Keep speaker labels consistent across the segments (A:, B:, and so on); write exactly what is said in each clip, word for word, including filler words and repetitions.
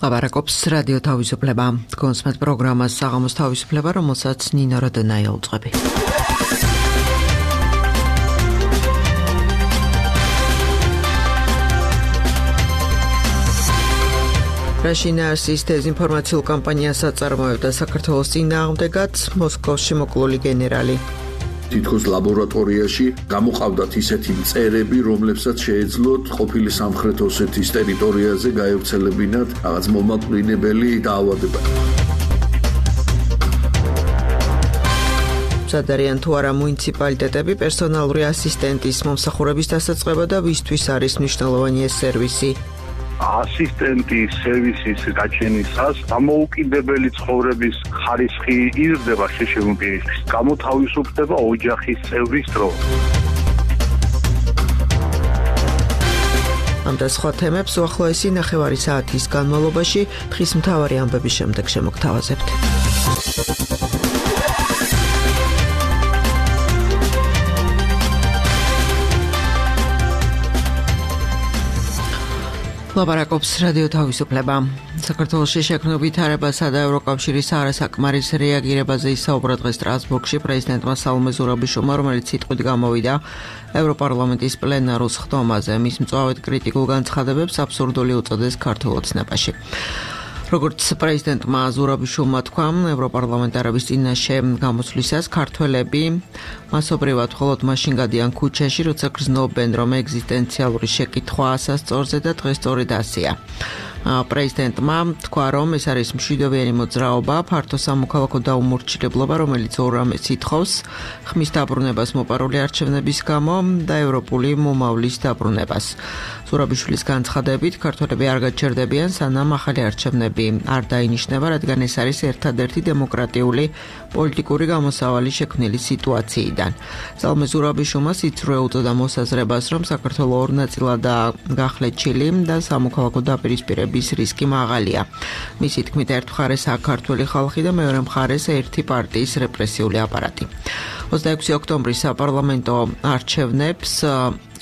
A: ლაპარაკობს რადიო თავისუფლება. კონსმეთ პროგრამას საღამოს თავისუფლება, რომელსაც ნინო როდენაია უძღვები. რაშინაარსის დეზინფორმაციულ კამპანიას აწარმოებდა საქართველოს წინააღმდეგაც მოსკოვში მოკლული გენერალი.
B: თითქოს ლაბორატორიაში გამოყავდათ ისეთი მწერები, რომლებსაც შეეძლოთ ყოფილი სამხრეთ ოსეთის ტერიტორიაზე გაევრცელებინათ რაღაც მომაკვდინებელი დაავადება.
A: მზად არიან თუ არა მუნიციპალიტეტები პერსონალური ასისტენტის მომსახურების დასაწყება და ვისთვის არის მნიშვნელოვანი ეს სერვისი?
C: ასისტენტის სერვისის გაჩენისას დამოუკიდებელი ცხოვრების ხარისხი იზრდება შეშებულ პირისთვის. გამოთავისუფლდება ოჯახის წევრის დრო.
A: ამ და სხვა თემებს უახლოესი ნახევარი საათის განმავლობაში დღის მთავარი ამბების შემდეგ შემოგთავაზებთ. ლაპარაკობს რადიო თავისუფლება. საქართველოში შექმნილ ვითარებასა და ევროკავშირის არასაკმარის რეაგირებაზე ისაუბრა დღეს სტრასბურგში პრეზიდენტმა სალომე ზურაბიშვილმა, რომელიც სიტყვით გამოვიდა ევროპარლამენტის პლენარულ სხდომაზე. მის მწვავედ კრიტიკულ განცხადებებს აბსურდული უწოდეს ქართულ ოცნებაში. როგორც პრეზიდენტმა ზურაბიშვილმა თქვა, ევროპარლამენტარების წინაშე გამოსვლისას ქართველები მასობრივად მხოლოდ მაშინ გადიან ქუჩაში, როცა გრძნობენ, რომ ეგზისტენციალური შეკითხვა ასასწორზე და დღეს სწორედ ასეა. პრეზიდენტმა თქვა, რომ ეს არის მშვიდობიანი მოძრაობა, ფართო სამოქალაქო დაუმორჩილებლობა, რომელიც ორ რამეს ითხოვს: ხმის დაბრუნებას მოპარული არჩევნების გამო და ევროპული მომავლის დაბრუნებას. ზურაბიშვილის განცხადებით, ქართველები არ გაჩერდებიან, სანამ ახალი არჩევნები არ დაინიშნება, რადგან ეს არის ერთადერთი დემოკრატიული პოლიტიკური გამოსავალი შექმნილი სიტუაციიდან. სალომე ზურაბიშვილმა სიცრუე უწოდა მოსაზრებას, რომ საქართველო ორ ნაწილადაა გახლეჩილი და სამოქალაქო დაპირისპირების რისკი მაღალია. მისი თქმით, ერთ მხარეს საქართველოს ხალხი და მეორე მხარეს ერთი პარტიის რეპრესიული აპარატი. ოცდაექვსი ოქტომბრის საპარლამენტო არჩევნებს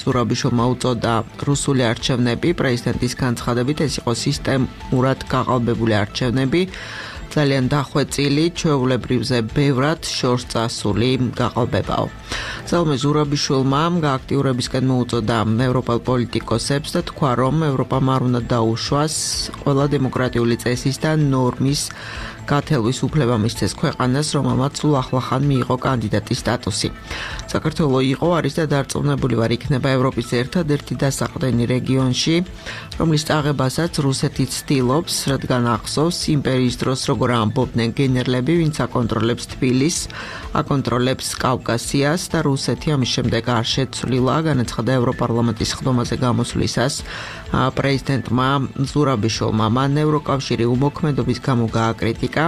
A: ზურაბიშვილმა უწოდა რუსული არჩევნები. პრეზიდენტის განცხადებით, ეს იყო სისტემურად გაყალბებული არჩევნები, ძალიან დახვეწილი, ჩვეულებრივზე ბევრად შორს წასული გაყალბებაო. სალომე ზურაბიშვილმა გააქტიურებისკენ მოუწოდა ევროპელ პოლიტიკოსებს და თქვა, რომ ევროპამ არ უნდა დაუშვას ყველა დემოკრატიული წესის და ნორმის გათელვის უფლება მისცეს ქვეყანას, რომელმაც სულ ახლახან მიიღო კანდიდატის სტატუსი. საქართველო იყო, არის და დარწმუნებული ვარ, იქნება ევროპის ერთადერთი დასაყრდენი რეგიონში, რომლის წაღებასაც რუსეთი ცდილობს, რადგან ახსოვს იმპერიის დროს როგორ ამბობდნენ გენერლები, ვინც აკონტროლებს თბილისს, აკონტროლებს კავკასიას და რუსეთი ამის შემდეგ არ შეცვლილა, განაცხადა ევროპარლამენტის სხდომაზე გამოსვლისას პრეზიდენტმა ზურაბიშვილმა. მან ევროკავშირი უმოქმედობის გამო გააკრიტიკა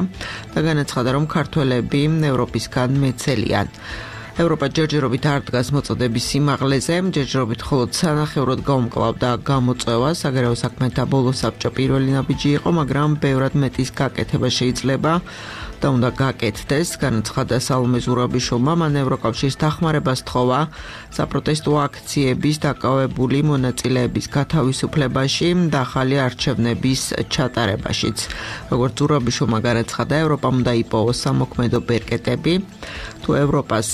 A: და განაცხადა, რომ ქართველები ევროპისგან მეცელიან. ევროპა ჯერჯერობით არ დგას მოწოდების სიმაღლეზე, ჯერჯერობით მხოლოდ სანახევროდ გაუმკლავდა გამოწვევა. საგარეო საქმეთა ბოლო საბჭო პირველი ნაბიჯი იყო, მაგრამ ბევრად მეტის გაკეთება შეიძლება და უნდა გაკეთდეს, განაცხადა სალომე ზურაბიშვილმა. მან ევროკავშირის დახმარებას თხოვა საპროტესტო აქციების დაკავებული მონაწილეების გათავისუფლებაში და ახალი არჩევნების ჩატარებაშიც. როგორც ზურაბიშვილმა განაცხადა, ევროპამ უნდა იპოვოს სამოქმედო ბერკეტები, თუ ევროპას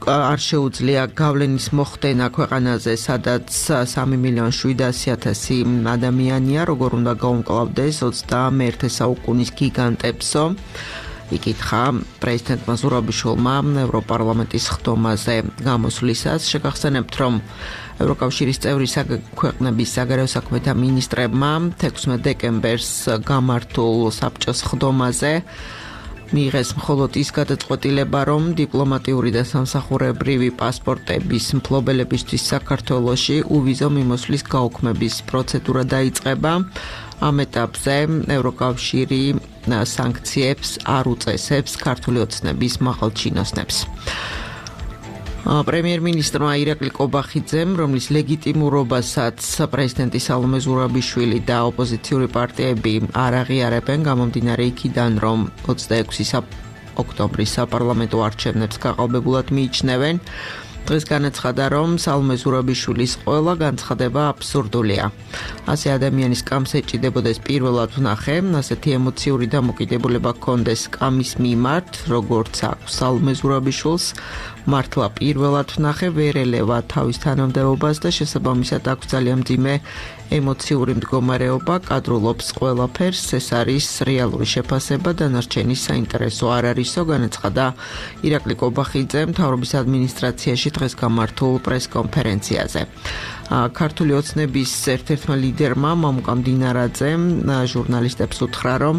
A: არ შეუძლია გავლენის მოხდენა ქვეყანაზე, სადაც სამი მილიონი შვიდასი ათასი ადამიანია, როგორ უნდა გაუმკლავდეს ოცდამეერთე საუკუნის გიგანტებსო. იკითხა პრეზიდენტმა ზურაბიშვილმა ევროპარლამენტის სხდომაზე გამოსვლისას. შეგახსენებთ, რომ ევროკავშირის წევრი ქვეყნების საგარეო საქმეთა მინისტრებმა თექვსმეტ დეკემბერს გამართულ საბჭოს სხდომაზე მიიღეს მხოლოდ ის გადაწყვეტილება, რომ დიპლომატიური და სამსახურებრივი პასპორტების მფლობელებისთვის საქართველოში უვიზო მიმოსვლის გაუქმების პროცედურა დაიწყება. ამ ეტაპზე ევროკავშირი სანქციებს არ უწესებს ქართული ოცნების მაღალ ჩინოსნებს. პრემიერ-მინისტრმა ირაკლი კობახიძემ, რომლის ლეგიტიმურობასაც პრეზიდენტი სალომე ზურაბიშვილი და ოპოზიციური პარტიები არ აღიარებენ, გამომდინარე იქიდან, რომ ოცდაექვსი ოქტომბრის საპარლამენტო არჩევნებს გაყალბებულად მიიჩნევენ დღეს განაცხადა, რომ სალომე ზურაბიშვილის ყველა განცხადება აბსურდულია. ასე ადამიანის კამს ეჭიდებოდეს პირველად ვნახე, ასეთი ემოციური დამოკიდებულება ჰქონდეს კამის მიმართ, როგორც აქვს სალომე ზურაბიშვილს, მართლა პირველად ვნახე, ვერ ელევა თავის თანამდებობას და შესაბამისად აქვს ძალიან მძიმე ემოციური მდგომარეობა, კადრულობს ყველაფერს, ეს არის რეალური შეფასება, დანარჩენი საინტერესო არ არისო, განაცხადა ირაკლი კობახიძე მთავრობის ადმინისტრაციაში დღეს გამართულ პრესკონფერენციაზე. ქართული ოცნების ერთ-ერთმა ლიდერმა მამუკამ დინარაძემ ჟურნალისტებს უთხრა, რომ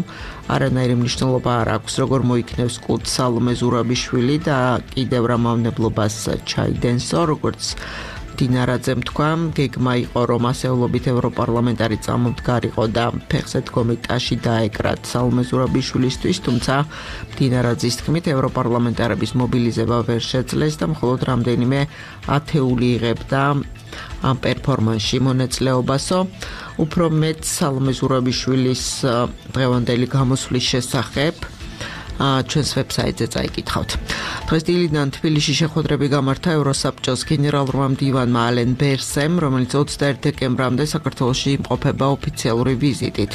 A: არანაირი მნიშვნელობა არ აქვს, როგორ მოიქნევს კუდს სალომე ზურაბიშვილი და კიდევ რა მავნებლობას ჩაიდენსო, როგორც დინარაძემ თქვა, გეგმა იყო, რომ ასეულობით ევროპარლამენტარი წამომდგარიყო და ფეხზე დგომი ტაში დაეკრათ სალომე ზურაბიშვილისთვის, თუმცა დინარაძის თქმით, ევროპარლამენტარების მობილიზება ვერ შეძლეს და მხოლოდ რამდენიმე ათეული იღებდა ამ პერფორმანსში მონაწილეობასო. უფრო მეტ სალომე ზურაბიშვილის დღევანდელი გამოსვლის შესახებ ჩვენს ვებსაიტზე წაიკითხავთ. დღეს დილიდან თბილისში შეხვედრები გამართა ევროსაბჭოს გენერალურმა მდივანმა ალენ ბერსემ, რომელიც ოცდაერთ დეკემბრამდე საქართველოში იმყოფება ოფიციალური ვიზიტით.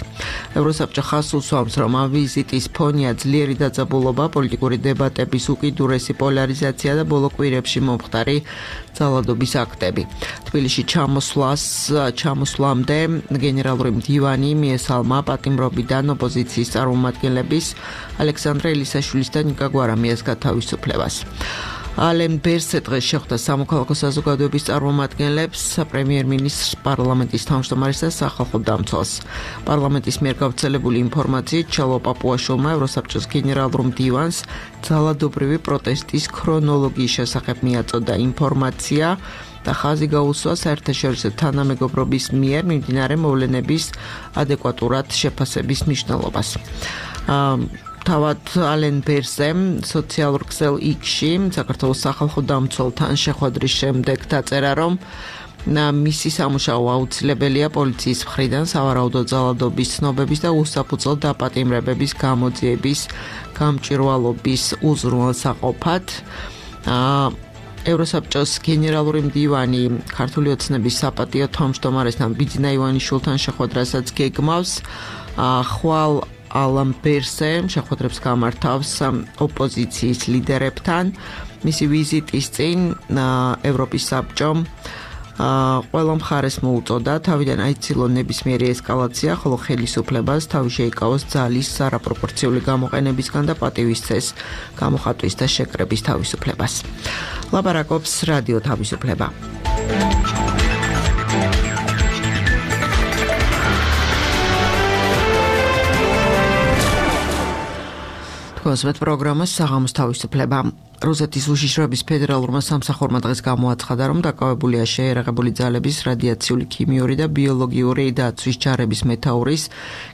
A: ევროსაბჭო ხაზს უსვამს, რომ ამ ვიზიტის ფონია ძლიერი დაძაბულობა, პოლიტიკური დებატების უკიდურესი პოლარიზაცია და ბოლო კვირებში მომხდარი ძალადობის აქტები. თბილისში ჩამოსვლას ჩამოსვლამდე გენერალური მდივანი მიესალმა პატიმრობიდან ოპოზიციის წარმომადგენლების ალექსანდრე ელისაშვილის და ნიკა გვარამიას გათავისუფლებას. ალენ ბერსე დღეს შეხვდა სამოქალაქო საზოგადოების წარმომადგენლებს, პრემიერ-მინისტრს, პარლამენტის თავმჯდომარეს და სახალხო დამცველს. პარლამენტის მიერ გავრცელებული ინფორმაციით ჩელო პაპუაშვილმა ევროსაბჭოს გენერალურ მდივანს ძალადობრივი პროტესტის ქრონოლოგიის შესახებ მიაწოდა ინფორმაცია და ხაზი გაუსვა საერთაშორისო თანამეგობრობის მიერ მიმდინარე მოვლენების ადეკვატურად შეფასების მნიშვნელობას. თავად ალენ ბერსემ სოციალურ ქსელ იქში საქართველოს სახალხო დამცველთან შეხვედრის შემდეგ დაწერა, რომ მისი სამუშაო აუცილებელია პოლიციის მხრიდან სავარაუდო ძალადობის ცნობების და უსაფუძვლო დაპატიმრებების გამოძიების გამჭვირვალობის უზრუნველსაყოფად. ევროსაბჭოს გენერალური მდივანი ქართული ოცნების საპატიო თავმჯდომარესთან ბიძინა ივანიშვილთან შეხვედრასაც გეგმავს. ხვალ ალენ ბერსემ შეხვედრებს გამართავს ოპოზიციის ლიდერებთან. მისი ვიზიტის წინ ევროპის საბჭომ ყველა მხარეს მოუწოდა თავიდან აიცილონ ნებისმიერი ესკალაცია, ხოლო ხელისუფლებას თავი შეიკავოს ძალის არაპროპორციული გამოყენებისგან და პატივისცეს გამოხატვის და შეკრების თავისუფლებას. ლაპარაკობს რადიო თავისუფლება. კონსვეთ პროგრამას საღამოს თავისუფლება. რუსეთის უშიშროების ფედერალურმა სამსახურმა დღეს გამოაცხადა, რომ დაკავებულია შეერაღებული ძალების რადიაციული, ქიმიური და ბიოლოგიური დაცვის ჯარების მეთაურის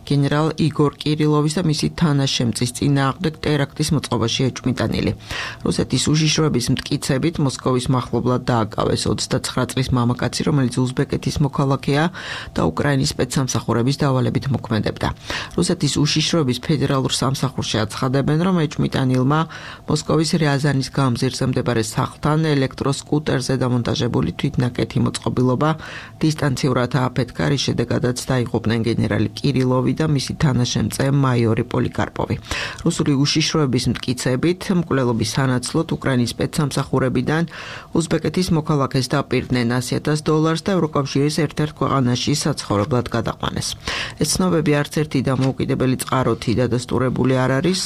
A: გენერალ იგორ კირილოვის და მისი თანაშემწის წინააღმდეგ ტერაქტის მოწყობაში ეჭვმიტანილი. რუსეთის უშიშროების მტკიცებით მოსკოვის მახლობლად დააკავეს ოცდაცხრა წლის მამაკაცი, რომელიც უზბეკეთის მოქალაქეა და უკრაინის სპეცსამსახურების დავალებით მოქმედებდა. რუსეთის უშიშროების ფედერალურ სამსახურში აცხადებენ, რომ ეჭვმიტანილმა მოსკოვის რიაზანის გამზირზე მდებარე სახლთან ელექტროსკუტერზე დამონტაჟებული თვითნაკეთი მოწყობილობა დისტანციურად ააფეთქა, რის შედეგადაც დაიღუპნენ გენერალი კირილოვი და მისი თანაშემწე მაიორი პოლიკარპოვი. რუსული უშიშროების მტკიცებით მკვლელობის სანაცვლოდ უკრაინის სპეცსამსახურებიდან უზბეკეთის მოქალაქეს დაპირდნენ ასი ათას დოლარს და ევროკავშირის ერთ-ერთ ქვეყანაში საცხოვრებლად გადაყვანეს. ეს ცნობები არც ერთი დამოუკიდებელი წყაროთი დადასტურებული არ არის.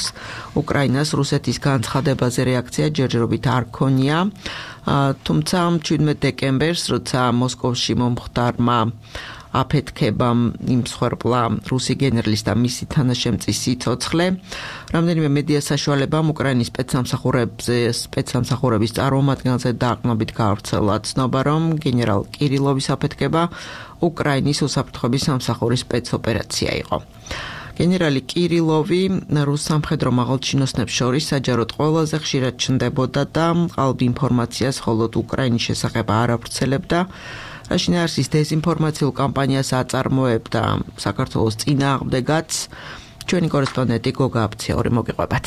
A: უკრაინას რუსეთის განცხადებაზე რეაქცია ჯერჯერობით არ ქონია, თუმცა მჩვიდმეტ დეკემბერს, როცა მოსკოვში მომხდარმა აფეთქებამ იმსხვერპლა რუსი გენერლის და მისი თანაშემწის სიცოცხლე, რამდენიმე მედია საშუალებამ უკრაინის სპეცსამსახურებზე სპეცსამსახურების წარმომადგენელზე დაყრდნობით გავრცელა ცნობა, რომ გენერალ კირილოვის აფეთქება უკრაინის უსაფრთხოების სამსახურის სპეცოპერაცია იყო. გენერალი კირილოვი რუს სამხედრო მაღალჩინოსნებს შორის საჯაროდ ყველაზე ხშირად ჩნდებოდა და ყალბ ინფორმაციას მხოლოდ უკრაინის შესახებ არ ავრცელებდა, რაშინ არსის დეზინფორმაციულ კამპანიას აწარმოებდა საქართველოს წინააღმდეგაც. ჩვენი კორესპონდენტი გოგა აფციაური მოგიყვებათ.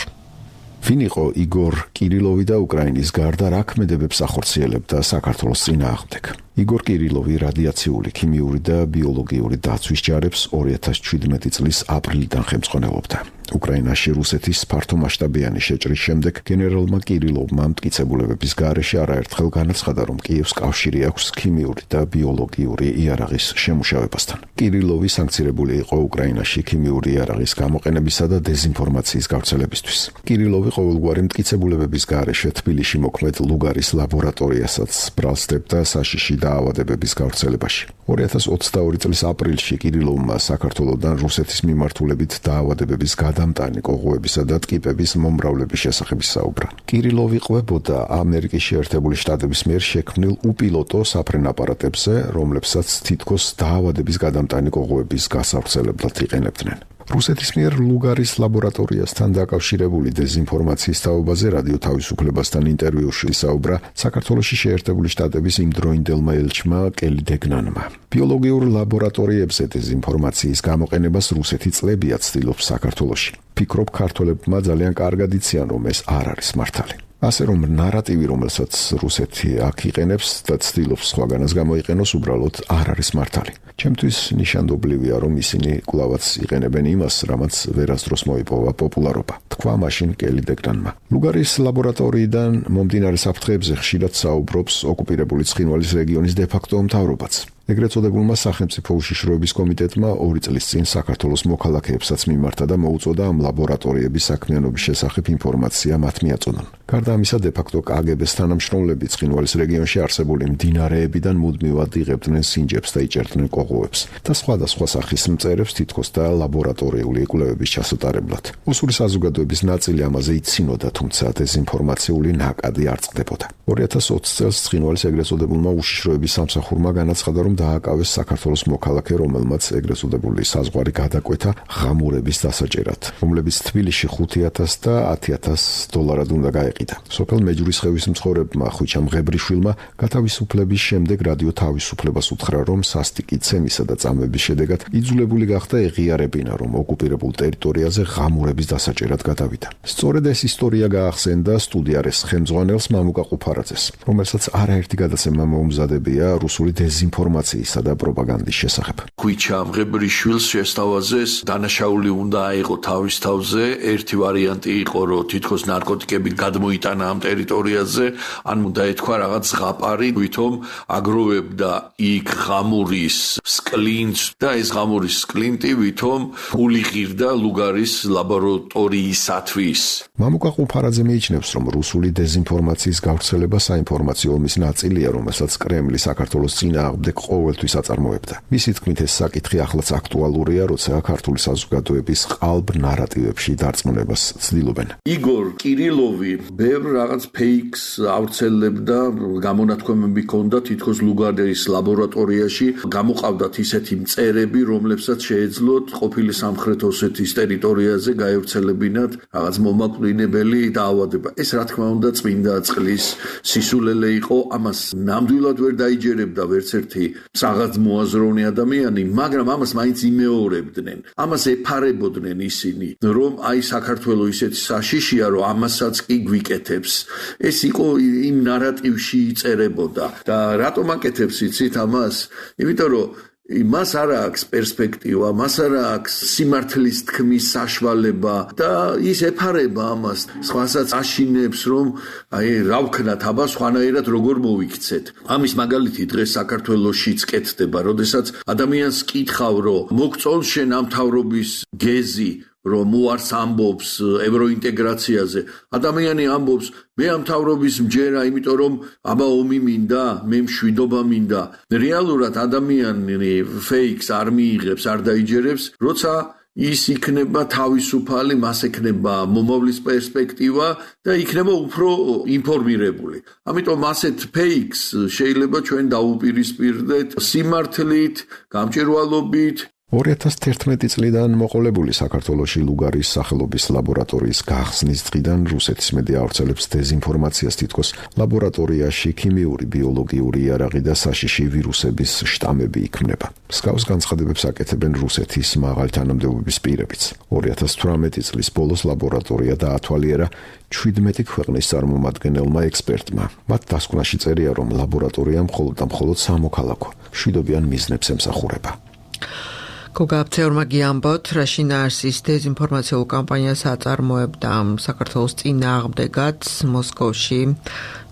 D: ვინ იყო იგორ კირილოვი და უკრაინის გარდა რა ქმედებებს ახორციელებდა საქართველოს წინააღმდეგ? იგორ კირილოვი რადიაციული, ქიმიური და ბიოლოგიური დაცვის ჯარებს ორი ათას ჩვიდმეტი წლის აპრილიდან ხელმძღვანელობდა. უკრაინაში რუსეთის ფართომასშტაბიანი შეჭრის შემდეგ გენერალმა კირილოვმა მტკიცებულებების გარეშე არაერთხელ განაცხადა, რომ კიევს კავშირი აქვს ქიმიური და ბიოლოგიური იარაღის შემუშავებასთან. კირილოვი სანქცირებული იყო უკრაინაში ქიმიური იარაღის გამოყენებისა და დეზინფორმაციის გავრცელებისთვის. კირილოვი ყოველგვარი მტკიცებულებების გარეშე თბილისში მოქმედ ლუგარის ლაბორატორიასაც ბრალსდებდა საშიში დაავადებების გავრცელებაში. ორი ათას ოცდაორი წლის აპრილში კირილოვმა საქართველოსთან რუსეთის მიმართულებით დაავადებების გადამტანი კოღოებისა და ტკიპების მომრავლების შესახებ საუბრა. კირილოვი ყვებოდა ამერიკის შეერთებული შტატების მიერ შექმნილ უპილოტო საფრენ აპარატებზე, რომლებსაც თითქოს დაავადების გადამტანი კოღოების გასავრცელებლად იყენებდნენ. რუსეთის მიერ ლუგარის ლაბორატორიასთან დაკავშირებული დეზინფორმაციის თაობაზე რადიო თავისუფლებასთან ინტერვიუში საუბრა საქართველოში შეერთებული შტატების იმდროინდელმა ელჩმა კელი დეგნანმა. ბიოლოგიურ ლაბორატორიებზე დეზინფორმაციის გამოყენებას რუსეთი წლებია ცდილობს საქართველოში. ფიქრობ ქართველებმა ძალიან კარგად იციან, რომ ეს არ არის მართალი. ასე რომ ნარატივი, რომელსაც რუსეთი აქ იყენებს და ცდილობს სხვაგანაც გამოიყენოს, უბრალოდ არ არის მართალი. ჩემთვის ნიშანდობლივია, რომ ისინი კვლავაც იყენებენ იმას, რამაც ვერასდროს მოიპოვა პოპულარობა. თქვა მაშინ კელი დეგნანმა. ლუგარის ლაბორატორიიდან მომდინარე საფრთხეებზე ხშირად საუბრობს ოკუპირებული ცხინვალის რეგიონის დე-ფაქტო მთავრობაც. ეგრეთ წოდებულმა სახელმწიფო უშიშროების კომიტეტმა ორი წლის წინ საქართველოს მოქალაქეებსაც მიმართა და მოუწოდა ამ ლაბორატორიების საქმიანობის შესახებ ინფორმაცია მათ მიაწოდონ. გარდა ამისა, დე-ფაქტო კაგებეს თანამშრომლები ცხინვალის რეგიონში არსებული მდინარეებიდან მუდმივად იღებდნენ სინჯებს და იჭერდნენ კოღოებს და სხვადასხვა სახის მწერებს თითქოს და ლაბორატორიული კვლევების ჩასატარებლად. ოსური საზოგადოების ნაწილი ამაზე იცინოდა, თუმცა დეზინფორმაციული ნაკადი არ წყდებოდა. ორი ათას ოცი წელს ცხინვალის ეგრეთ წოდებულმა უშიშროების სამსახურმა განაცხადა, რომ დააკავეს საქართველოს მოქალაქე, რომელმაც ეგრეთ წოდებული საზღვარი გადაკვეთა ღამურების დასაჭერად, რომლებიც თბილისში ხუთი ათას და ათი ათას დოლარად უნდა გაეყიდა. სოფელ მეჯურის ხევის მცხოვრებმა ხვიჩა მღებრიშვილმა გათავისუფლების შემდეგ რადიო თავისუფლებას უთხრა, რომ სასტიკი ცემისა და წამების შედეგად იძულებული გახდა ეღიარებინა, რომ ოკუპირებულ ტერიტორიაზე ღამურების დასაჭერად გადავიდა. სწორედ ეს ისტორია გაახსენდა სტუდიარეს ხელმძღვანელს მამუკა ყუფარაძეს, რომელსაც არაერთი გადაცემა მოუმზადებია რუსული დეზინფორმაციისა და პროპაგანდის შესახებ.
B: ხვიჩა მღებრიშვილს შესთავაზეს დანაშაული უნდა აიღო თავის თავზე. ერთი ვარიანტი იყო, რომ თითქოს ნარკოტიკები გადმოიტანა ამ ტერიტორიაზე, ან უნდა ეთქვა რაღაც ზღაპარი, ვითომ აგროვებდა იქ ღამურის სკლინტს და ეს ღამურის სკლინტი ვითომ ფული ღირდა ლუგარის ლაბორატორიისათვის.
D: მამუკა ყუფარაძე მიიჩნევს, რომ რუსული დეზინფორმაციის გავრცელება საინფორმაციო ომის ნაწილია, რომელსაც კრემლი საქართველოს წინააღმდეგ ყოველთვის აწარმოებდა. მისი თქმით, ეს საკითხი ახლაც აქტუალურია, როცა ქართული საზოგადოების ყალბ ნარატივებში დარწმუნებას ცდილობენ.
B: იგორ კირილოვი ბევრ რაღაც ფეიქს ავრცელებდა, გამონათქვამები ჰქონდა თითქოს ლუგარის ლაბორატორიაში გამოყავდათ ისეთი მწერები, რომლებსაც შეეძლოთ ყოფილი სამხრეთ ოსეთის ტერიტორიაზე გაევრცელებინათ რაღაც მომაკვდინებელი დაავადება. ეს რა თქმა უნდა წმინდა წყლის სისულელე იყო, ამას ნამდვილად ვერ დაიჯერებდა ვერც ერთი საღაც მოაზროვნე ადამიანი, მაგრამ ამას მაინც იმეორებდნენ. ამას ეფარებოდნენ ისინი, რომ აი საქართველო ისეთი საშიშია, რომ ამასაც კი გვიკეთებს. ეს იყო იმ ნარატივში იწერებოდა და რატომ აკეთებს იცით ამას? იმიტომ რომ მას არ აქვს პერსპექტივა, მას არ აქვს სიმართლის თქმის საშუალება და ის ეფარება ამას, სხვასაც აშინებს, რომ აი რა ვქნათ აბა სხვანაირად როგორ მოვიქცეთ. ამის მაგალითი დღეს საქართველოშიც კეთდება, როდესაც ადამიანს კითხავ, რომ მოგწონს შენ ამ მთავრობის გეზი, რომ უარს ამბობს ევროინტეგრაციაზე. ადამიანი ამბობს, მე ამ მთავრობის მჯერა, იმიტომ რომ აბა ომი მინდა, მე მშვიდობა მინდა. რეალურად ადამიანი ფეიქს არ მიიღებს, არ დაიჯერებს, როცა ის იქნება თავისუფალი, მას ექნება მომავლის პერსპექტივა და იქნება უფრო ინფორმირებული. ამიტომ ასეთ ფეიქს შეიძლება ჩვენ დაუპირისპირდეთ სიმართლით, გამჭვირვალობით
D: ორი ათას თერთმეტი წლიდან მოყოლებული საქართველოში ლუგარის სახელობის ლაბორატორიის გახსნის დღიდან რუსეთის მედია ავრცელებს დეზინფორმაციას, თითქოს ლაბორატორიაში ქიმიური, ბიოლოგიური იარაღი და საშიში ვირუსების შტამები იქმნება. მსგავს განცხადებებს აკეთებენ რუსეთის მაღალი თანამდებობის პირებიც. ორი ათას თვრამეტი წლის ბოლოს ლაბორატორია დაათვალიერა შვიდმეტი ქვეყნის წარმომადგენელმა ექსპერტმა. მათ დასკვნაში წერია, რომ ლაბორატორია მხოლოდ და მხოლოდ სამოქალაქო მშვიდობიან მიზნებს ემსახურება.
A: გოგაბცეორმა გიამბოთ, რაშინ არსის დეზინფორმაციულ კამპანიას აწარმოებდა საქართველოს წინააღმდეგად მოსკოვში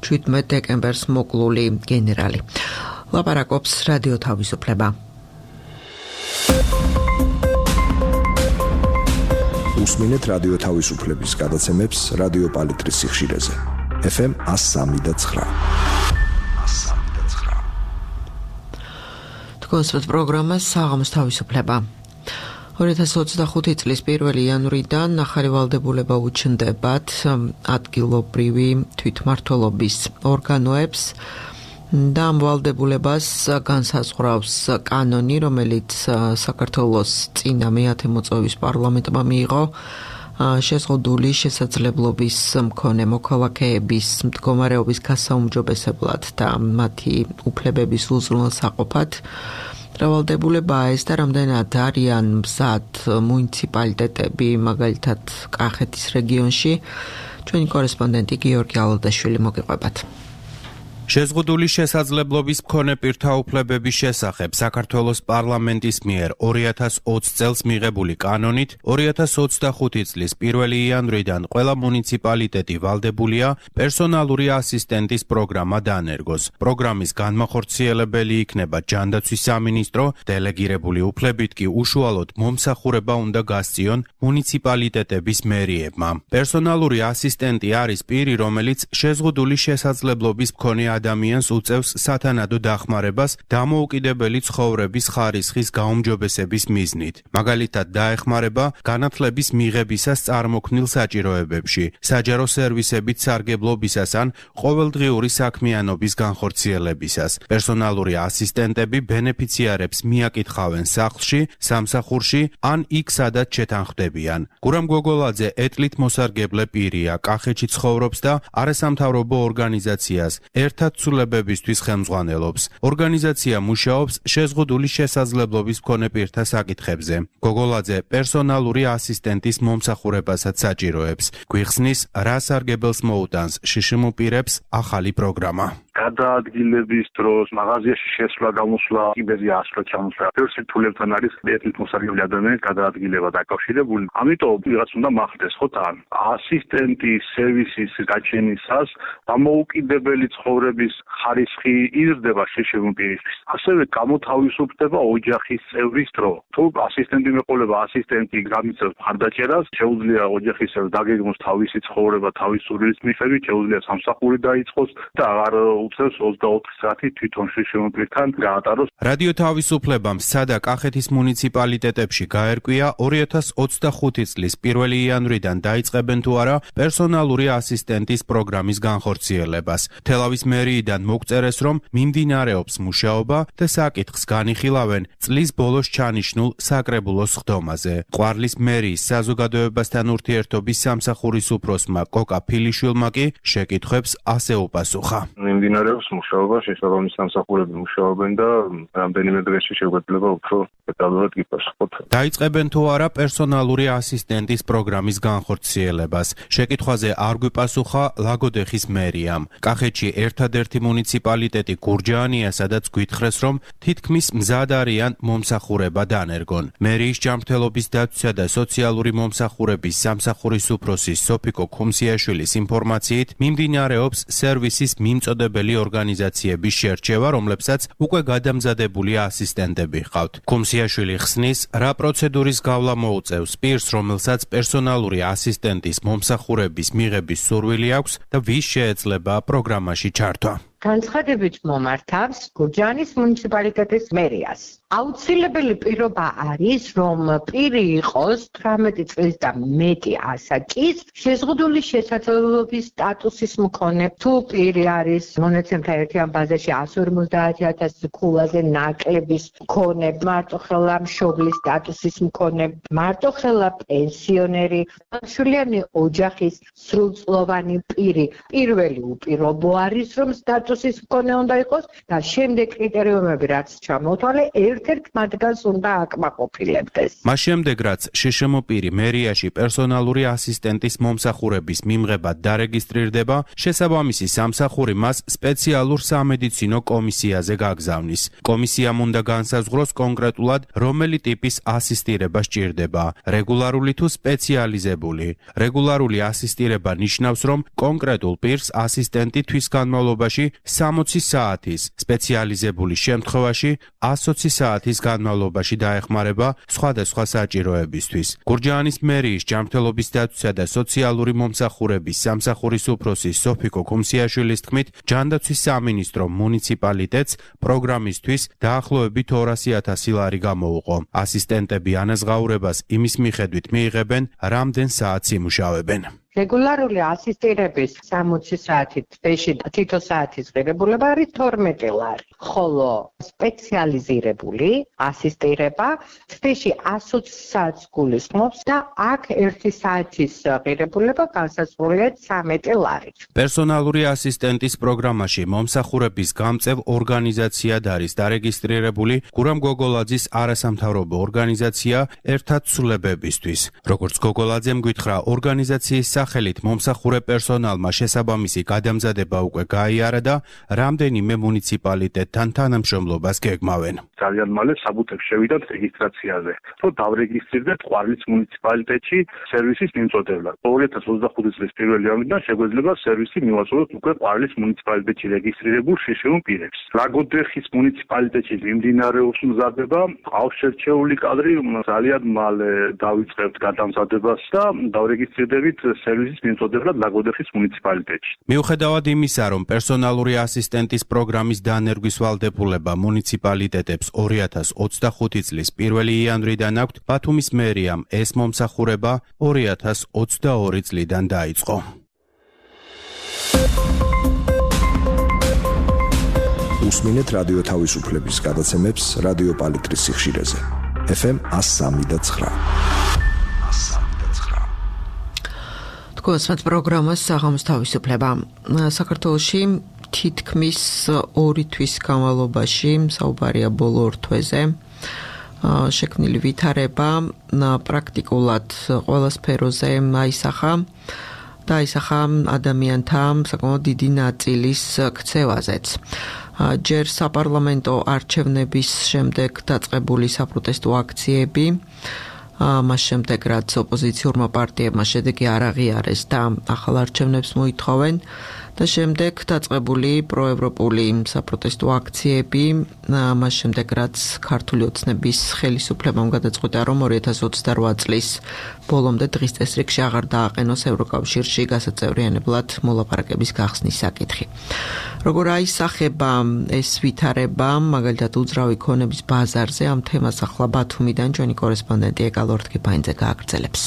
A: შვიდმეტ დეკემბერს მოკლული გენერალი. ლაპარაკობს რადიო თავისუფლება.
E: უსმინეთ რადიო თავისუფლების გადაცემებს რადიო პალიტრის სიხშირეზე. ეფ ემ one oh three point nine.
A: კონსერტ პროგრამა საღამოს თავისუფლება. ორი ათას ოცდახუთი წლის პირველი იანვრიდან ახალი ვალდებულება უჩნდებათ ადგილობრივი თვითმმართველობის ორგანოებს და ამ ვალდებულებას განსაზღვრავს კანონი, რომელიც საქართველოს წინა მეათე მოწვევის პარლამენტმა მიიღო შეზღუდული შესაძლებლობის მქონე მოქალაქეების მდგომარეობის გასაუმჯობესებლად და მათი უფლებების უზრუნველსაყოფად. მრავალდებულებაა ეს და რამდენად არიან მზად მუნიციპალიტეტები, მაგალითად კახეთის რეგიონში. ჩვენი კორესპონდენტი გიორგი ალადაშვილი მოგიყვებათ.
F: შეზღუდული შესაძლებლობის მქონე პირთა უფლებების შესახებ საქართველოს პარლამენტის მიერ ორი ათას ოცი წელს მიღებული კანონით ორი ათას ოცდახუთი წლის პირველი იანვრიდან ყველა მუნიციპალიტეტი ვალდებულია პერსონალური ასისტენტის პროგრამა დაანერგოს. პროგრამის განმახორციელებელი იქნება ჯანდაცვის სამინისტრო, დელეგირებული უფლებით კი უშუალოდ მომსახურება უნდა გასწიონ მუნიციპალიტეტების მერიებმა. პერსონალური ასისტენტი არის პირი, რომელიც შეზღუდული შესაძლებლობის მქონე ადამიანს უწევს სათანადო დახმარებას დამოუკიდებელი ცხოვრების ხარისხის გაუმჯობესების მიზნით. მაგალითად, დაეხმარება განათლების მიღებისას წარმოქმნილ საჭიროებებში, საჯარო სერვისებით სარგებლობისას ან ყოველდღიური საქმიანობის განხორციელებისას. პერსონალური ასისტენტები ბენეფიციარებს მიაკითხავენ სახლში, სამსახურში ან იქ, სადაც შეთანხმდებიან. გურამ გოგოლაძე ეტლით მოსარგებლე პირია, კახეთში ცხოვრობს და არასამთავრობო ორგანიზაციას ერთად ცვლილებებისთვის ხელმძღვანელობს. ორგანიზაცია მუშაობს შეზღუდული შესაძლებლობის მქონე პირთა საკითხებზე. გოგოლაძე პერსონალური ასისტენტის მომსახურებასაც საჭიროებს. გვიხსნის, რა სარგებელს მოუტანს შშმ პირებს ახალი პროგრამა.
C: გადაადგილების დროს მაღაზიაში შესვლა გამოსვლა კიბეზე ასვლა ჩამოსვლა ბევრ სირთულებთან არის ეტლით მოსარგებლე ადამიანის გადაადგილება დაკავშირებული. ამიტომ ვიღაც უნდა მახდეს ხო თან ასისტენტის სერვისის გაჩენისას დამოუკიდებელი ცხოვრების ხარისხი იზრდება შშმ პირისთვის. ასევე გამოთავისუფლდება ოჯახის წევრის დრო. თუ ასისტენტი მეყოლება, ასისტენტი გამიწევს მხარდაჭერას, შეუძლია ოჯახის წევრს დაგეგმოს თავისი ცხოვრება, თავისი სურვილის მიხედვით, შეუძლია სამსახური დაიწყოს და აღარ უწევს ოცდაოთხი საათი თვითონ შშმ პირთან გაატაროს.
F: რადიო თავისუფლებამ სადა კახეთის მუნიციპალიტეტებში გაერკვია ორი ათას ოცდახუთი წლის პირველი იანვრიდან დაიწყებენ თუ არა პერსონალური ასისტენტის პროგრამის განხორციელებას. თელავის მერიიდან მოგწერეს, რომ მიმდინარეობს მუშაობა და საკითხს განიხილავენ წლის ბოლოს ჩანიშნულ საკრებულოს ხდომაზე. ყვარლის მერიის საზოგადოებასთან ურთიერთობის სამსახურის უფროსმა კოკა ფილიშვილმა კი შეკითხვებს ასე უპასუხა.
C: მიმდინარეობს მუშაობა, შესაბამის სამსახურები მუშაობენ და რამდენიმე დღეში შეგვეძლება უფრო დეტალურად გიპასუხოთ.
F: დაიწყებენ თუ არა პერსონალური ასისტენტის პროგრამის განხორციელებას. შეკითხვაზე არ გვიპასუხა ლაგოდეხის მერიამ. კახეთში ერთადერთი მუნიციპალიტეტი გურჯაანია, სადაც გვითხრეს, რომ თითქმის მზად არიან მომსახურება დაანერგონ. მერიის ჯანმრთელობის დაცვისა და სოციალური მომსახურების სამსახურის უფროსი სოფიკო ქუმსიაშვილის ინფორმაციით მიმდინარეობს სერვისის მიმწოდებელი ორგანიზაციების შერჩევა, რომლებსაც უკვე გადამზადებული ასისტენტები ჰყავთ. ქუმსიაშვილი ხსნის, რა პროცედურის გავლა მოუწევს პირს, რომელსაც პერსონალური ასისტენტის მომსახურების მიღების სურვილი აქვს და ვის შეეძლება პროგრამაში ჩართვა.
G: განცხადებით მომართავს გურჯაანის მუნიციპალიტეტის მერიას. აუცილებელი პირობა არის, რომ პირი იყოს თვრამეტი წლის და მეტი ასაკის შეზღუდული შესაძლებლობის სტატუსის მქონე. თუ პირი არის მონაცემთა ერთიან ბაზაში εκατს ორმოცდაათი ათასი ქულაზე ნაკლების მქონე, მარტოხელა მშობლის სტატუსის მქონე, მარტოხელა პენსიონერი, მშვიდიანი ოჯახის სრულწლოვანი პირი, პირველი უპირობო არის, რომ სტატუსის მქონე უნდა იყოს და შემდეგ კრიტერიუმები რაც ჩამოთვალე ერთ-ერთ მათგანს უნდა აკმაყოფილებდეს.
F: მას შემდეგ რაც შშმ პირი მერიაში პერსონალური ასისტენტის მომსახურების მიმღებად დარეგისტრირდება, შესაბამისი სამსახური მას სპეციალურ სამედიცინო კომისიაზე გაგზავნის. კომისიამ უნდა განსაზღვროს კონკრეტულად, რომელი ტიპის ასისტირება სჭირდება, რეგულარული თუ სპეციალიზებული. რეგულარული ასისტირება ნიშნავს, რომ კონკრეტულ პირს ასისტენტი თვის განმავლობაში სამოცი საათის, სპეციალიზებული შემთხვევაში ასოცი საათის განმავლობაში დაეხმარება სხვადასხვა საჭიროებისთვის. გურჯაანის მერიის ჯანმრთელობის დაცვისა და სოციალური მომსახურების სამსახურის უფროსი სოფიკო ქუმსიაშვილის თქმით, ჯანდაცვის სამინისტრო მუნიციპალიტეტს პროგრამისთვის დაახლოებით ორასი ათასი ლარი გამოუყო. ასისტენტები ანაზღაურებას იმის მიხედვით მიიღებენ, რამდენ საათს იმუშავებენ.
G: რეგულარული ასისტირების სამოცი საათი თვეში თითო საათის ღირებულება არის თორმეტი ლარი, ხოლო სპეციალიზირებული ასისტირება თვეში ასოცი საათს გულისხმობს და აქ ერთი საათის ღირებულება განსაზღვრულია ცამეტი ლარით.
F: პერსონალური ასისტენტის პროგრამაში მომსახურების გამწევ ორგანიზაციად არის დარეგისტრირებული გურამ გოგოლაძის არასამთავრობო ორგანიზაცია ერთად ცვლილებებისთვის. როგორც გოგოლაძემ გითხრა, ორგანიზაციის სახელით მომსახურე პერსონალმა შესაბამისი გადამზადება უკვე გაიარა და რამდენიმე მუნიციპალიტეტთან თანამშრომლობას გეგმავენ.
C: ძალიან მალე საბუთებს შევიდათ რეგისტრაციაზე, რომ დავრეგისტრირდეთ ყვარლის მუნიციპალიტეტში სერვისის მიმწოდებლად. ორი ათას ოცდახუთი წლის პირველი ივნისიდან შეგვეძლება სერვისი მივაწოდოთ უკვე ყვარლის მუნიციპალიტეტში რეგისტრირებულ შშმ პირებს. ლაგოდეხის მუნიციპალიტეტში მიმდინარეობს მზადება, ყავს შერჩეული კადრი, ძალიან მალე დავიწყებთ გადამზადებას და დავრეგისტრირდებით სერვისის მიმწოდებლად ლაგოდეხის მუნიციპალიტეტში.
F: მიუხედავად იმისა, რომ პერსონალური ასისტენტის პროგრამის დანერგვის ვალდებულება მუნიციპალიტეტებს ორი ათას ოცდახუთი წლის პირველი იანვრიდან აქვთ, ბათუმის მერიამ ეს მომსახურება ორი ათას ოცდაორი წლიდან დაიწყო.
E: უსმინეთ რადიო თავისუფლების გადაცემებს რადიო პალიტრის სიხშირეზე. ეფ ემ εκατს სამი და ცხრა.
A: გოსმათ პროგრამას საღამოს თავისუფლება. საქართველოში თითქმის ორი თვის განმავლობაში საუბარია ბოლო ორ თვეზე შექმნილი ვითარება პრაქტიკულად ყველა სფეროზე აისახა და აისახა ადამიანთა საკმაოდ დიდი ნაწილის ქცევაზეც. ჯერ საპარლამენტო არჩევნების შემდეგ დაწყებული საპროტესტო აქციები, მას შემდეგ რაც ოპოზიციურმა პარტიებმა შედეგი არ აღიარეს და ახალ არჩევნებს მოითხოვენ და შემდეგ დაწყებული პროევროპული საპროტესტო აქციები, მას შემდეგ რაც ქართული ოცნების ხელისუფლებამ გადაწყვიტა, რომ ორი ათას ოცდარვა წლის ბოლომდე დღის წესრიგში აღარ დააყენოს ევროკავშირში გასაწევრიანებლად მოლაპარაკების გახსნის საკითხი. როგორ აისახება ეს ვითარება, მაგალითად უძრავი ქონების ბაზარზე, ამ თემას ახლა ბათუმიდან ჩვენი კორესპონდენტი ეკალ ორთქიფანიძე გააგრძელებს.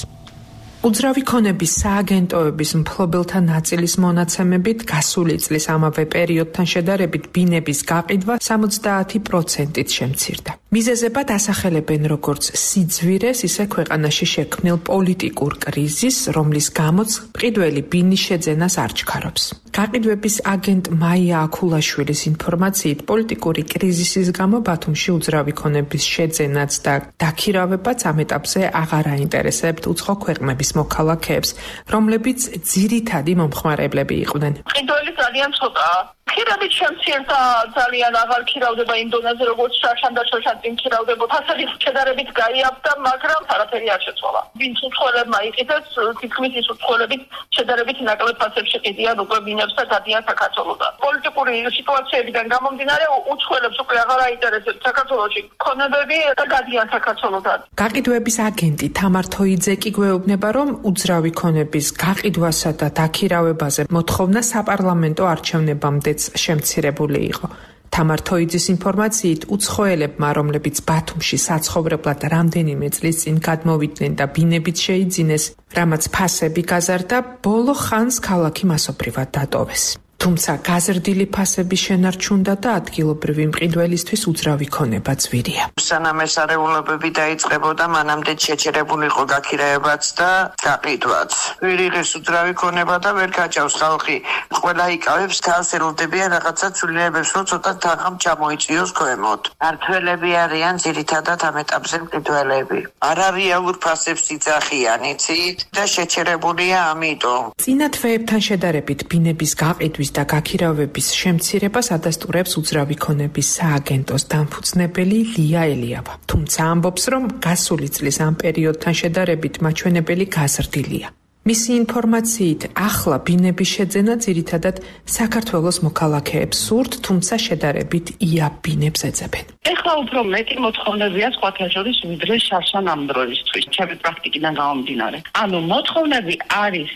H: უძრავი ქონების სააგენტოების მფლობელთა ნაწილის მონაცემებით გასული წლის ამავე პერიოდთან შედარებით ბინების გაყიდვა სამოცდაათი პროცენტით შემცირდა. მიზეზებად ასახელებენ როგორც სიძვირეს, ისე ქვეყანაში შექმნილ პოლიტიკურ კრიზისს, რომლის გამოც მყიდველი ბინის შეძენას არ ჩქარობს. გაყიდვების აგენტ მაია აქულაშვილის ინფორმაციით, პოლიტიკური კრიზისის გამო ბათუმში უძრავი ქონების შეძენაც და დაქირავებაც ამ ეტაპზე აღარ აინტერესებთ უცხო ქვეყნების მოქალაქეებს, რომლებიც ძირითადი მომხმარებლები იყვნენ.
I: მყიდველი ძალიან ცოტაა. ქირებით შემცირდა, ძალიან აღარ ქირავდება იმ დონეზე, როგორც შარშან და შარშან წინ ქირავდებოდა. ასაკის შედარებით გაიაფდა, მაგრამ არაფერი არ შეცვალა. ვინც უცხოელებმა იყიდეს, თითქმის ის უცხოელები შედარებით ნაკლებ ფასებში ყიდიან უკვე ბინებს და დადიან საქართველოდან. პოლიტიკური პოლიტიკური სიტუაციებიდან გამომდინარე უცხოელებს უკვე აღარ აინტერესებს საქართველოში ქონებები და გადიან საქართველოსთან.
H: გაყიდვების აგენტი თამარ თოიძე კი გვეუბნება, რომ უძრავი ქონების გაყიდვასა და დაქირავებაზე მოთხოვნა საპარლამენტო არჩევნებამდეც შემცირებული იყო. თამარ თოიძის ინფორმაციით, უცხოელებმა, რომლებიც ბათუმში საცხოვრებლად რამდენიმე წლის წინ გადმოვიდნენ და ბინებით შეიძინეს, რამაც ფასები გაზარდა, ბოლო ხანს ქალაქი მასობრივად დატოვეს. თუმცა გაზრდილი ფასების შენარჩუნდა და ადგილობრივი მყიდველისთვის უძრავი ქონება ძვირია.
J: სანამ ეს არეულობები დაიწყებოდა, მანამდე შეჩერებული იყო გაქირაებაც და გაყიდვაც. ვერ იღეს უძრავი ქონება და ვერ გაჭავს ხალხი. ყველა იკავებს თავს, ელოდებიან რაღაცა ცვლილებებს, რომ ცოტა თანხამ ჩამოიწვიოს ქვემოთ. მართველები არიან ძირითადად ამ ეტაპზე მყიდველები. არარეალურ ფასებს იძახიან, იცით, და შეჩერებულია ამიტომ.
H: წინა თვეებთან შედარებით ბინების გაყიდვის და გაქირავების შემცირებას ადასტურებს უძრავი ქონების სააგენტოს დამფუძნებელი ლია ელიავა. თუმცა ამბობს, რომ გასული წლის ამ პერიოდთან შედარებით მაჩვენებელი გაზრდილია. მისი ინფორმაციით, ახლა ბინების შეძენა ძირითადად საქართველოს მოქალაქეებს სურთ, თუმცა შედარებით იაფ ბინებს ეძებენ.
I: ეხლა უფრო მეტი მოთხოვნებია სხვათა შორის ვიდრე შარშან ამ დროისთვის, ჩემი პრაქტიკიდან გამომდინარე. ანუ მოთხოვნები არის,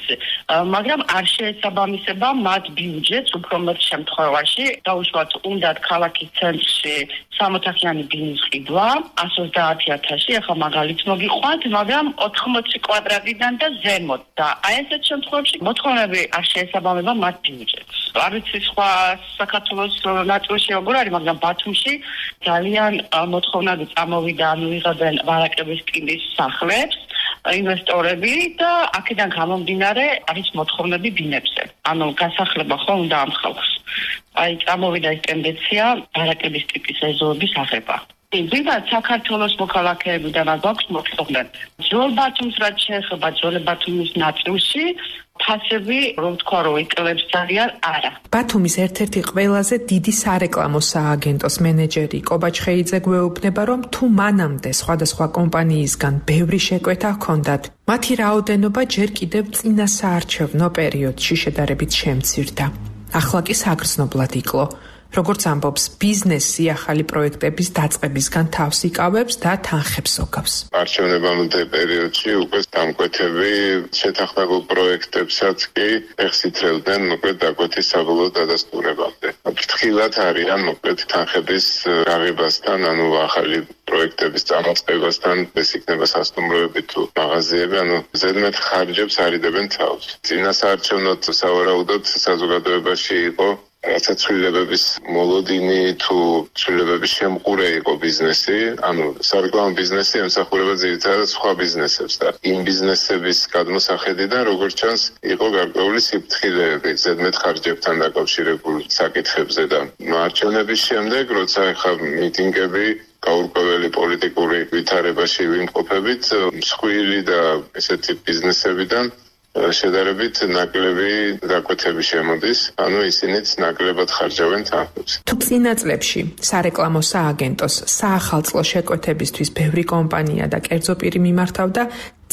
I: მაგრამ არ შეესაბამისება მათ ბიუჯეტს უფრო მეტ შემთხვევაში. დაუშვათ, უნდათ ქალაქის ცენტრში სამოთახიანი ბინის ყიდვა εκατს ოცდაათი ათასი, ახლა მაგალითს მოგიყვანთ, მაგრამ ოთხმოცი კვადრატიდან და ზემოთ. და აი ესეთ შემთხვევაში მოთხოვნები არ შეესაბამება მათ ბიუჯეტს. არ ვიცი სხვა საქართველოს ნაწილში როგორ არის, მაგრამ ბათუმში ძალიან მოთხოვნები წამოვიდა, ანუ იღებენ ვარაკების ტიპის სახლებს ინვესტორები და აქედან გამომდინარე არის მოთხოვნები ბინებზე. ანუ გასახლება ხო უნდა ამ ხალხს. აი წამოვიდა ეს ტენდენცია ვარაკების ტიპის ეზოების აღება. ვიღაც საქართველოს მოქალაქეებიდან გვაქვს მოთხოვნები. ძველ ბათუმს რაც შეეხება ძველ ბათუმის ნაწილში ფასები, რომ თქვა, რომ იკლებს ძალიან არა.
H: ბათუმის ერთ-ერთი ყველაზე დიდი სარეკლამო სააგენტოს მენეჯერი კობაჩ ხეიძე გვეუბნება, რომ თუ მანამდე სხვადასხვა კომპანიისგან ბევრი შეკვეთა ჰქონდათ, მათი რაოდენობა ჯერ კიდევ წინა საარჩევნო პერიოდში შედარებით შემცირდა. ახლა კი საგრძნობლად იკლო. როგორც ამბობს, ბიზნესი ახალი პროექტების დაწყებისგან თავს იკავებს და თანხებს ოგავს.
K: არჩევნებამდე პერიოდში უკვე დამკვეთები შეთანხმებულ პროექტებსაც კი ეხს ითრევდნენ მოკლედ დაკვეთის საბოლოო დადასტურებამდე. ფრთხილად არიან მოკლედ თანხების გაღებასთან, ანუ ახალი პროექტების წამოწყებასთან, ეს იქნება სასტუმროები თუ მაღაზიები, ანუ ზედმეტ ხარჯებს არიდებენ თავს. წინა საარჩევნოდ სავარაუდოდ საზოგადოებაში იყო რაცა ცვლილებების მოლოდინი თუ ცვლილებების შემყურე იყო ბიზნესი, ანუ სარეკლამო ბიზნესი ემსახურება ძირითადად სხვა ბიზნესებს და იმ ბიზნესების გადმოსახედიდან, როგორც ჩანს, იყო გარკვეული სიფრთხილეები ზედმეტ ხარჯებთან დაკავშირებული საკითხებზე და არჩევნების შემდეგ, როცა ახლა მიტინგები გაურკვეველი პოლიტიკური ვითარებაში ვიმყოფებით, მსხვილი და ესეთი ბიზნესებიდან შედარებით ნაკლები დაკვეთები შემოდის, ანუ ისინიც ნაკლებად ხარჯავენ თანხებს.
H: თუ წინა წლებში სარეკლამო სააგენტოს საახალწლო შეკვეთებისთვის ბევრი კომპანია და კერძო პირი მიმართავდა,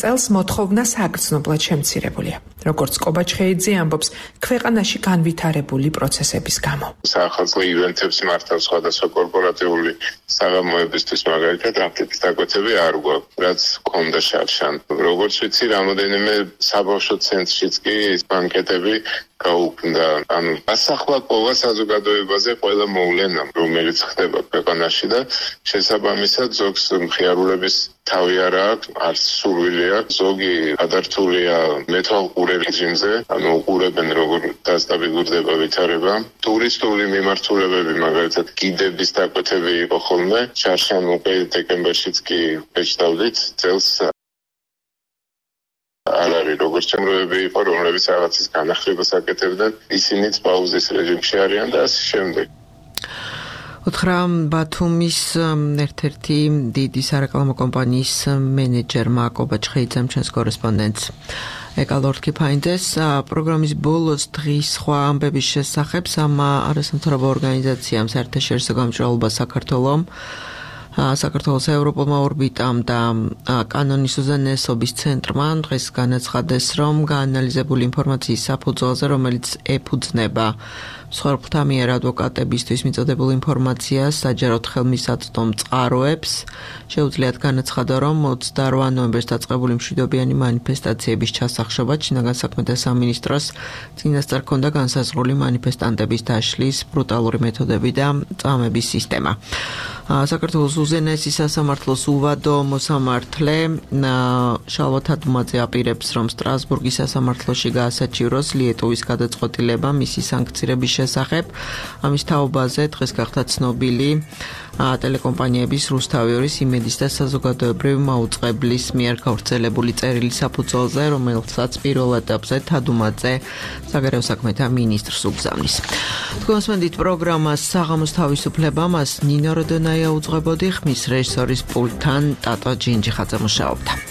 H: წელს მოთხოვნა საგრძნობლად შემცირებულია. როგორც კობაჩ ხეიძე ამბობს, ქვეყანაში განვითარებული პროცესების გამო.
K: საახალწლო ივენთებს მართავს სხვადასხვა კორპორატიული საღამოებისთვის, მაგალითად, აფრიკის დაკვეთები არ გვაქვს, რაც ჰქონდა შარშან. როგორც ვიცი, რამოდენიმე საბავშვო ცენტრშიც კი ბანკეტები გაუქმდა. ანუ ასახლაკობა საზოგადოებაზე ყველა მოვლენა, რომელიც ხდება ქვეყანაში და შესაბამისად ზოგს მხიარულების თავი არ აქვს, არც სურვილი აქვს, ზოგი გადართულია მეთვალყურე რეჟიმზე, ანუ უყურებენ როგორ დასტაბილურდება ვითარება. ტურისტული მიმართულებები, მაგალითად, გიდების დაკვეთები იყო ხოლმე, შარშან უკვე დეკემბერშიც კი ეჩდავდით წელს არ არის, როგორც შემროები იყო, რომლებიც რაღაცის განახლებას აკეთებდნენ, ისინიც პაუზის რეჟიმში არიან და ასე შემდეგ.
A: უთხრა ბათუმის ერთ-ერთი დიდი სარეკლამო კომპანიის მენეჯერმა კობაჩ ხეიძემ ჩვენს კორესპონდენტს. ეკალორთკი ფაინდეს პროგრამის ბოლოს დღის სხვა ამბების შესახებ სამა არასამთავრობო ორგანიზაციამ საერთაშორისო გამჭრელობა საქართველოს საქართველოს ევროპულმა ორბიტამ და კანონის უზენაესობის ცენტრმა დღეს განაცხადეს, რომ გაანალიზებული ინფორმაციის საფუძველზე, რომელიც ეფუძნება მსხვერპლთა მიერ ადვოკატებისთვის მიწოდებულ ინფორმაციას საჯაროდ ხელმისაწვდომ წყაროებს შეუძლიათ განაცხადა, რომ ოცდაოთხ ნოემბერს დაწყებული მშვიდობიანი მანიფესტაციების ჩასახშობა შინაგან საქმეთა სამინისტროს წინასწარ ჰქონდა განსაზღვრული მანიფესტანტების დაშლის ბრუტალური მეთოდები და წამების სისტემა. საქართველოს უზენაესი სასამართლოს უვადო მოსამართლე შალვა თადუმაძე აპირებს, რომ სტრასბურგის სასამართლოში გაასაჩივროს ლიეტოვის გადაწყვეტილება მისი სანქცირების შესახებ. ამის თაობაზე დღეს გახდა ცნობილი ტელეკომპანიების რუსთავი ორის იმედის და საზოგადოებრივი მაუწყებლის მიერ გავრცელებული წერილი საფუძველზე, რომელსაც პირველ ეტაპზე თადუმაძე საგარეო საქმეთა მინისტრს უგზავნის. თქვენს მენდით პროგრამას საღამოს თავისუფლება მას ნინო როდონაია უძღვებოდი, ხმის რეჟისორის პულტთან ტატო ჯინჯიხაძე მუშაობდა.